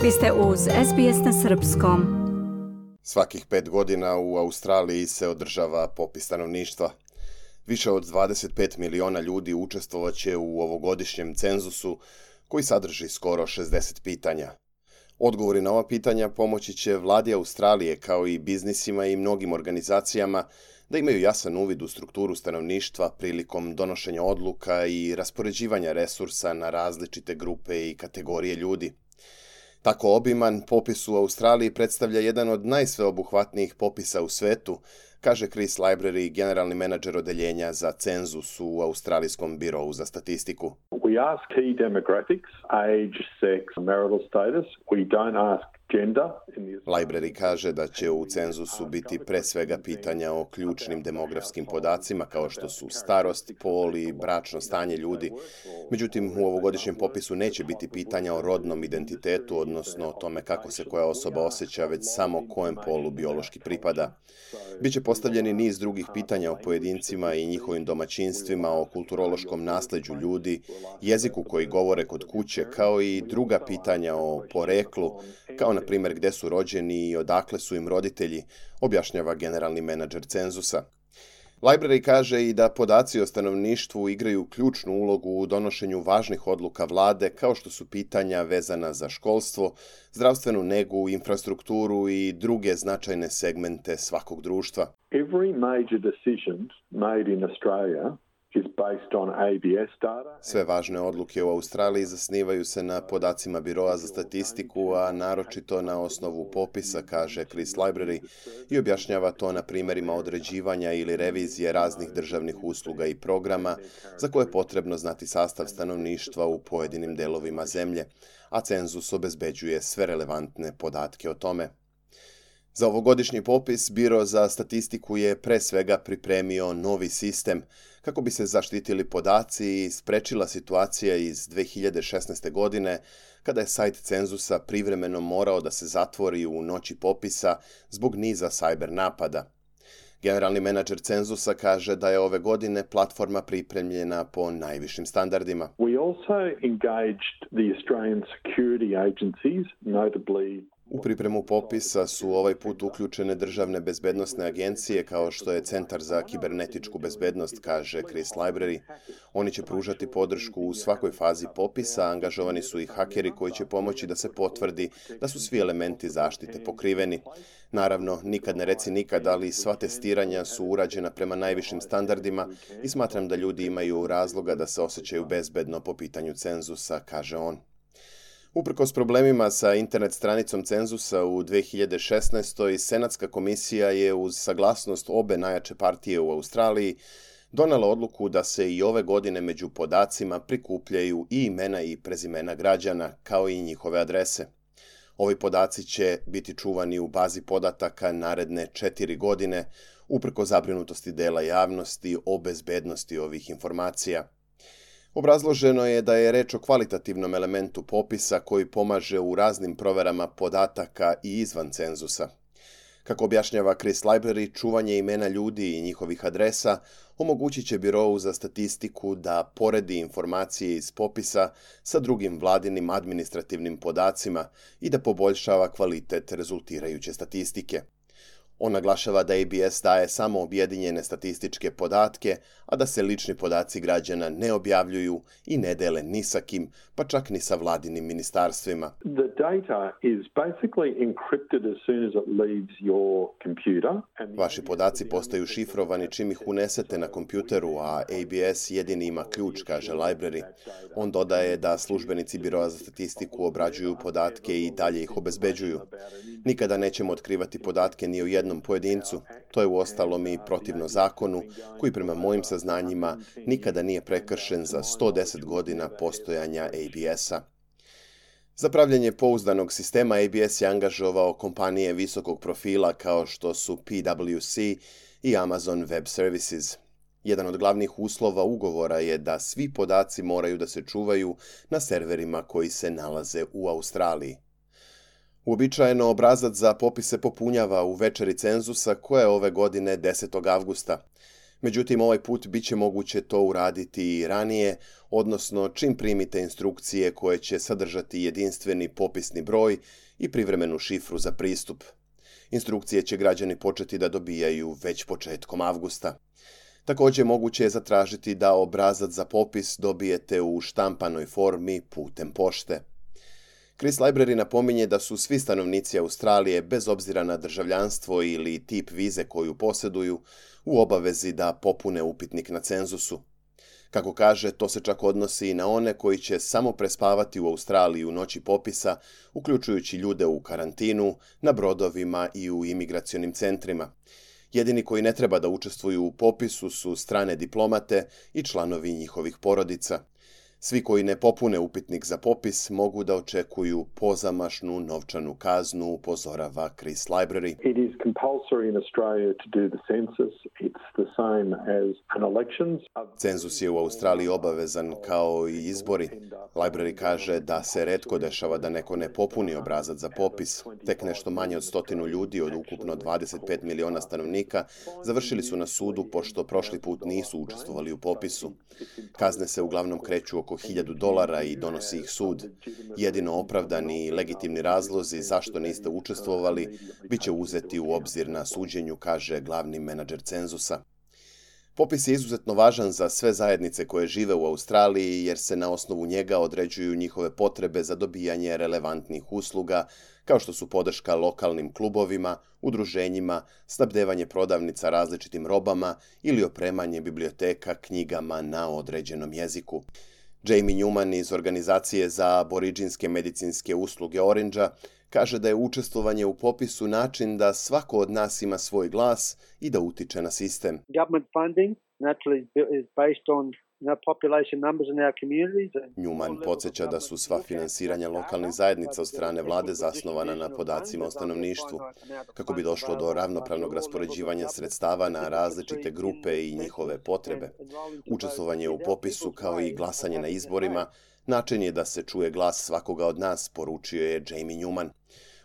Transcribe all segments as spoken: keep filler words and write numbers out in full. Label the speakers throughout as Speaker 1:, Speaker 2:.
Speaker 1: Vi ste uz S B S na srpskom.
Speaker 2: Svakih pet godina u Australiji se održava popis stanovništva. Više od dvadeset pet miliona ljudi učestvovaće u ovogodišnjem cenzusu koji sadrži skoro šezdeset pitanja. Odgovori na ova pitanja pomoći će vladi Australije kao i biznisima i mnogim organizacijama da imaju jasan uvid u strukturu stanovništva prilikom donošenja odluka i raspoređivanja resursa na različite grupe i kategorije ljudi. Tako obiman popis u Australiji predstavlja jedan od najsveobuhvatnijih popisa u svetu, kaže Chris Library, generalni menadžer odeljenja za cenzus u Australijskom birovu za statistiku.
Speaker 3: We ask key demographics, age, sex, marital status. We don't ask gender.
Speaker 2: Library kaže da će u cenzusu biti pre svega pitanja o ključnim demografskim podacima kao što su starost, pol i bračno stanje ljudi. Međutim, u ovogodišnjem popisu neće biti pitanja o rodnom identitetu, odnosno o tome kako se koja osoba osjeća, već samo kojem polu biološki pripada. Biće postavljeni niz drugih pitanja o pojedincima i njihovim domaćinstvima, o kulturološkom nasleđu ljudi, jeziku koji govore kod kuće, kao i druga pitanja o poreklu, kao na primjer gde su rođeni i odakle su im roditelji, objašnjava generalni menadžer cenzusa. Library kaže i da podaci o stanovništvu igraju ključnu ulogu u donošenju važnih odluka vlade, kao što su pitanja vezana za školstvo, zdravstvenu negu, infrastrukturu i druge značajne segmente svakog društva.
Speaker 3: Every major decision made in Australia is based on A B S data.
Speaker 2: Sve važne odluke u Australiji zasnivaju se na podacima Biroa za statistiku, a naročito na osnovu popisa, kaže Chris Library, i objašnjava to na primjerima određivanja ili revizije raznih državnih usluga i programa za koje je potrebno znati sastav stanovništva u pojedinim delovima zemlje, a cenzus obezbeđuje sve relevantne podatke o tome. Za ovogodišnji popis Biro za statistiku je pre svega pripremio novi sistem kako bi se zaštitili podaci i sprečila situacija iz dve hiljade šesnaeste. godine kada je sajt cenzusa privremeno morao da se zatvori u noći popisa zbog niza cyber napada. Generalni menadžer cenzusa kaže da je ove godine platforma pripremljena po najvišim standardima.
Speaker 3: We also engaged the Australian security agencies, notably
Speaker 2: U pripremu popisa su ovaj put uključene državne bezbednosne agencije kao što je Centar za kibernetičku bezbednost, kaže Chris Library. Oni će pružati podršku u svakoj fazi popisa, angažovani su i hakeri koji će pomoći da se potvrdi da su svi elementi zaštite pokriveni. Naravno, nikad ne reci nikad, ali sva testiranja su urađena prema najvišim standardima i smatram da ljudi imaju razloga da se osjećaju bezbedno po pitanju cenzusa, kaže on. Uprkos problemima sa internet stranicom cenzusa u dve hiljade šesnaestoj. Senatska komisija je uz saglasnost obe najjače partije u Australiji donela odluku da se i ove godine među podacima prikupljaju i imena i prezimena građana, kao i njihove adrese. Ovi podaci će biti čuvani u bazi podataka naredne četiri godine, uprkos zabrinutosti dela javnosti o bezbednosti ovih informacija. Obrazloženo je da je reč o kvalitativnom elementu popisa koji pomaže u raznim proverama podataka i izvan cenzusa. Kako objašnjava Chris Library, čuvanje imena ljudi i njihovih adresa omogućit će Birovu za statistiku da poredi informacije iz popisa sa drugim vladinim administrativnim podacima i da poboljšava kvalitet rezultirajuće statistike. On naglašava da A B S daje samo objedinjene statističke podatke, a da se lični podaci građana ne objavljuju i ne dele ni sa kim, pa čak ni sa vladinim ministarstvima.
Speaker 3: The data is basically encrypted as soon as it leaves your computer.
Speaker 2: Vaši podaci postaju šifrovani čim ih unesete na kompjuteru, a A B S jedini ima ključ, kaže Library. On dodaje da službenici Biroa za statistiku obrađuju podatke i dalje ih obezbeđuju. Nikada nećemo otkrivati podatke ni o jednom pojedincu. To je uostalom i protivno zakonu, koji prema mojim saznanjima nikada nije prekršen za sto deset godina postojanja A B S-a. Za pravljenje pouzdanog sistema A B S je angažovao kompanije visokog profila kao što su P W C i Amazon Web Services. Jedan od glavnih uslova ugovora je da svi podaci moraju da se čuvaju na serverima koji se nalaze u Australiji. Uobičajeno obrazac za popis se popunjava u večeri cenzusa koja je ove godine desetog avgusta. Međutim, ovaj put bit će moguće to uraditi i ranije, odnosno čim primite instrukcije koje će sadržati jedinstveni popisni broj i privremenu šifru za pristup. Instrukcije će građani početi da dobijaju već početkom avgusta. Također moguće je zatražiti da obrazac za popis dobijete u štampanoj formi putem pošte. Chris Library napominje da su svi stanovnici Australije, bez obzira na državljanstvo ili tip vize koju posjeduju, u obavezi da popune upitnik na cenzusu. Kako kaže, to se čak odnosi i na one koji će samo prespavati u Australiji u noći popisa, uključujući ljude u karantinu, na brodovima i u imigracionim centrima. Jedini koji ne treba da učestvuju u popisu su strane diplomate i članovi njihovih porodica. Svi koji ne popune upitnik za popis mogu da očekuju pozamašnu novčanu kaznu, upozorava Chris Library.
Speaker 3: It is compulsory in Australia to do the census. It's the same as an elections.
Speaker 2: Cenzus je u Australiji obavezan kao i izbori. Library kaže da se retko dešava da neko ne popuni obrazac za popis. Tek nešto manje od stotinu ljudi od ukupno dvadeset pet miliona stanovnika završili su na sudu pošto prošli put nisu učestvovali u popisu. Kazne se uglavnom kreću oko hiljadu dolara i donosi ih sud. Jedino opravdani i legitimni razlozi zašto niste učestvovali bit će uzeti u obzir na suđenju, kaže glavni menadžer cenzusa. Popis je izuzetno važan za sve zajednice koje žive u Australiji jer se na osnovu njega određuju njihove potrebe za dobijanje relevantnih usluga, kao što su podrška lokalnim klubovima, udruženjima, snabdevanje prodavnica različitim robama ili opremanje biblioteka knjigama na određenom jeziku. Jamie Newman iz organizacije za aboriđinske medicinske usluge Orangea kaže da je učestvovanje u popisu način da svako od nas ima svoj glas i da utiče na sistem.
Speaker 4: Government funding naturally is based on population numbers in our communities.
Speaker 2: Newman podsjeća da su sva finansiranja lokalnih zajednica od strane vlade zasnovana na podacima o stanovništvu. Kako bi došlo do ravnopravnog raspoređivanja sredstava na različite grupe i njihove potrebe. Učestvovanje u popisu kao i glasanje na izborima način je da se čuje glas svakoga od nas, poručio je Jamie Newman.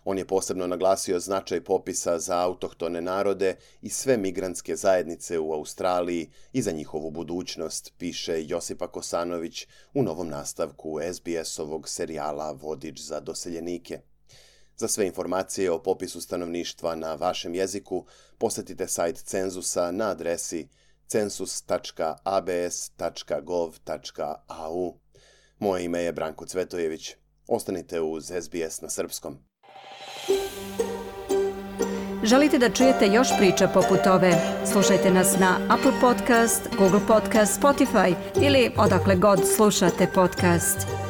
Speaker 2: On je posebno naglasio značaj popisa za autohtone narode i sve migrantske zajednice u Australiji i za njihovu budućnost, piše Josipa Kosanović u novom nastavku S B S-ovog serijala Vodič za doseljenike. Za sve informacije o popisu stanovništva na vašem jeziku posjetite sajt cenzusa na adresi census tačka a b s tačka gov tačka a u. Moje ime je Branko Cvetojević. Ostanite uz S B S na srpskom.
Speaker 1: Želite da čujete još priča poput ove? Slušajte nas na Apple Podcast, Google Podcast, Spotify ili odakle god slušate podcast.